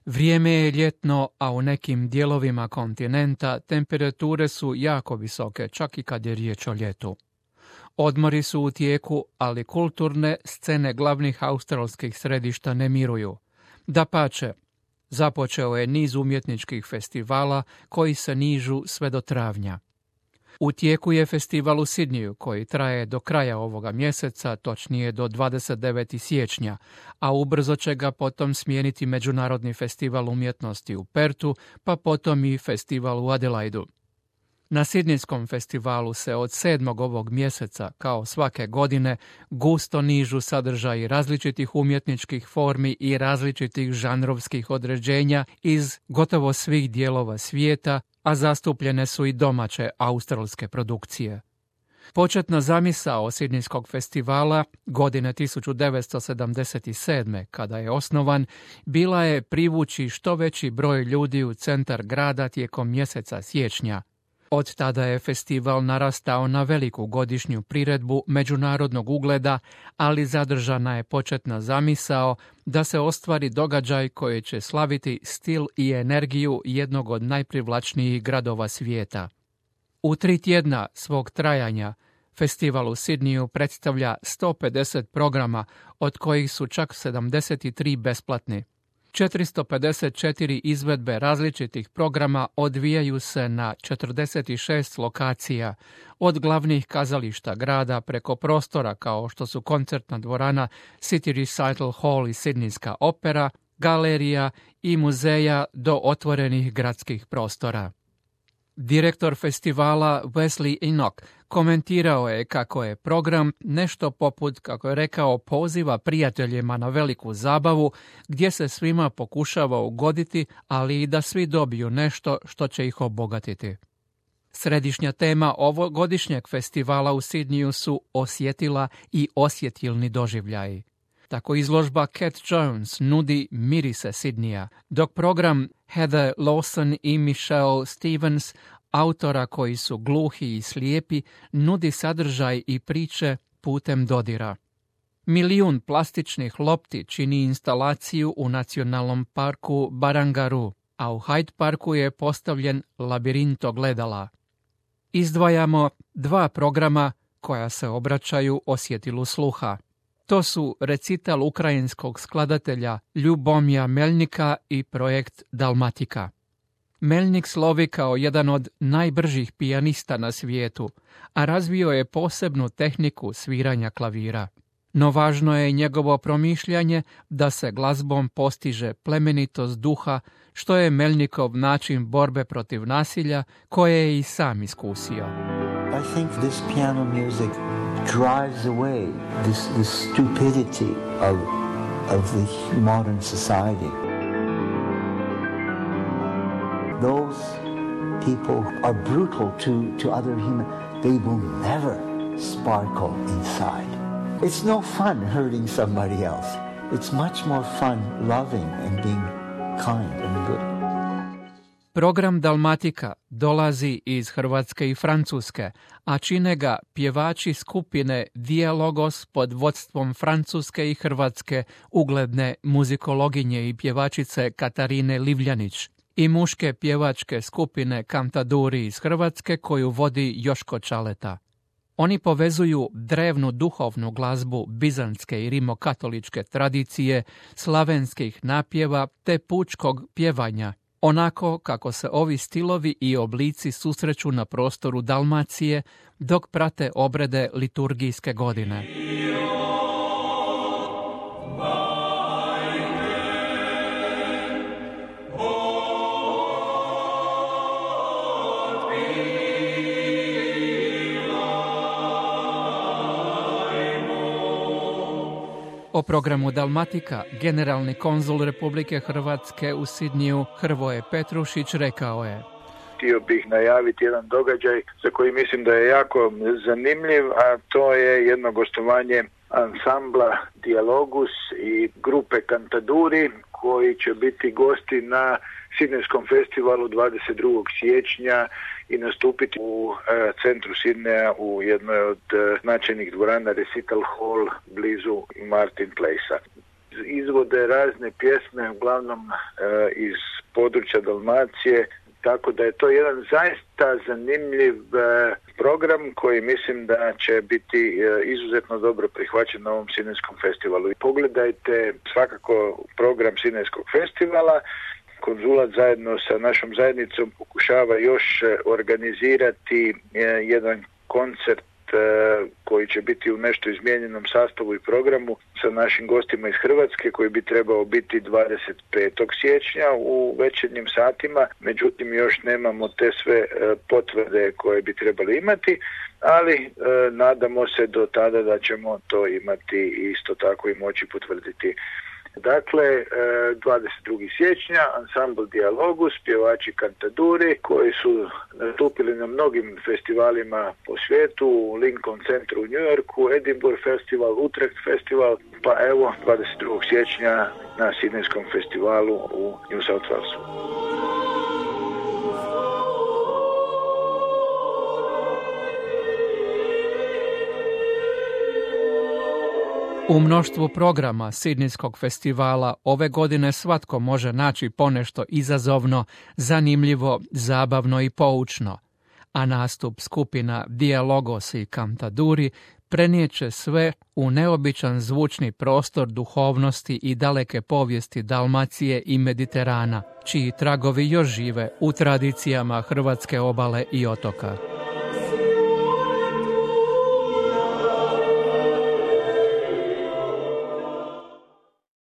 Vrijeme je ljetno, a u nekim dijelovima kontinenta temperature su jako visoke, čak i kad je riječ o ljetu. Odmori su u tijeku, ali kulturne scene glavnih australskih središta ne miruju. Dapače, započeo je niz umjetničkih festivala koji se nižu sve do travnja. U tijeku je festival u Sidniju koji traje do kraja ovoga mjeseca, točnije do 29. siječnja, a ubrzo će ga potom smijeniti Međunarodni festival umjetnosti u Pertu, pa potom i festival u Adelaidu. Na Sidnijskom festivalu se od 7. ovog mjeseca, kao svake godine, gusto nižu sadržaji različitih umjetničkih formi i različitih žanrovskih određenja iz gotovo svih dijelova svijeta, a zastupljene su i domaće australske produkcije. Početna zamisao Sidnijskog festivala godine 1977. kada je osnovan, bila je privući što veći broj ljudi u centar grada tijekom mjeseca siječnja. Od tada je festival narastao na veliku godišnju priredbu međunarodnog ugleda, ali zadržana je početna zamisao da se ostvari događaj koji će slaviti stil i energiju jednog od najprivlačnijih gradova svijeta. U 3 tjedna svog trajanja festival u Sidniju predstavlja 150 programa, od kojih su čak 73 besplatni. 454 izvedbe različitih programa odvijaju se na 46 lokacija, od glavnih kazališta grada preko prostora kao što su koncertna dvorana City Recital Hall i Sidnijska opera, galerija i muzeja do otvorenih gradskih prostora. Direktor festivala Wesley Enoch komentirao je kako je program nešto poput, kako je rekao, poziva prijateljima na veliku zabavu gdje se svima pokušava ugoditi, ali i da svi dobiju nešto što će ih obogatiti. Središnja tema ovogodišnjeg festivala u Sidniju su osjetila i osjetilni doživljaji. Tako izložba Cat Jones nudi mirise Sidnija, dok program Heather Lawson i Michelle Stevens, autora koji su gluhi i slijepi, nudi sadržaj i priče putem dodira. 1 milijun plastičnih lopti čini instalaciju u nacionalnom parku Barangaroo, a u Hyde Parku je postavljen labirint ogledala. Izdvajamo 2 programa koja se obraćaju osjetilu sluha. To su recital ukrajinskog skladatelja Ljubomira Melnika i projekt Dalmatika. Melnik slovi kao jedan od najbržih pijanista na svijetu, a razvio je posebnu tehniku sviranja klavira. No važno je njegovo promišljanje da se glazbom postiže plemenitost duha, što je Melnikov način borbe protiv nasilja koje je i sam iskusio. I think this piano music drives away this stupidity of the modern society. Those people are brutal to other humans. They will never sparkle inside. It's no fun hurting somebody else. It's much more fun loving and being kind and good. Program Dalmatika dolazi iz Hrvatske i Francuske, a čine ga pjevači skupine Dialogos pod vodstvom francuske i hrvatske ugledne muzikologinje i pjevačice Katarine Livljanić i muške pjevačke skupine Kantaduri iz Hrvatske koju vodi Joško Čaleta. Oni povezuju drevnu duhovnu glazbu bizantske i rimokatoličke tradicije, slavenskih napjeva te pučkog pjevanja, onako kako se ovi stilovi i oblici susreću na prostoru Dalmacije dok prate obrede liturgijske godine. O programu Dalmatika generalni konzul Republike Hrvatske u Sidniju Hrvoje Petrušić rekao je: Htio bih najaviti jedan događaj za koji mislim da je jako zanimljiv, a to je jedno gostovanje ansambla Dialogus i grupe Kantaduri koji će biti gosti na Sidnejskom festivalu 22. siječnja i nastupiti u centru Sidneja u jednoj od značajnih dvorana Recital Hall blizu Martin Placea. izvode razne pjesme, uglavnom iz područja Dalmacije, tako da je to jedan zaista zanimljiv program koji mislim da će biti izuzetno dobro prihvaćen na ovom Sinajskom festivalu. Pogledajte svakako program Sinajskog festivala. Konzulat zajedno sa našom zajednicom pokušava još organizirati jedan koncert koji će biti u nešto izmijenjenom sastavu i programu sa našim gostima iz Hrvatske, koji bi trebao biti 25. siječnja u večernjim satima. Međutim, još nemamo te sve potvrde koje bi trebali imati, ali nadamo se do tada da ćemo to imati isto tako i moći potvrditi. Dakle, 22. siječnja ansambl Dialogus, pjevači Cantaduri koji su nastupili na mnogim festivalima po svijetu, u Lincoln centru u New Yorku, Edinburgh festival, Utrecht festival, pa evo 22. siječnja na Sidnejskom festivalu u New South Walesu. U mnoštvu programa Sidnejskog festivala ove godine svatko može naći ponešto izazovno, zanimljivo, zabavno i poučno, a nastup skupina Dialogos i Cantaduri prenijeće sve u neobičan zvučni prostor duhovnosti i daleke povijesti Dalmacije i Mediterana, čiji tragovi još žive u tradicijama hrvatske obale i otoka.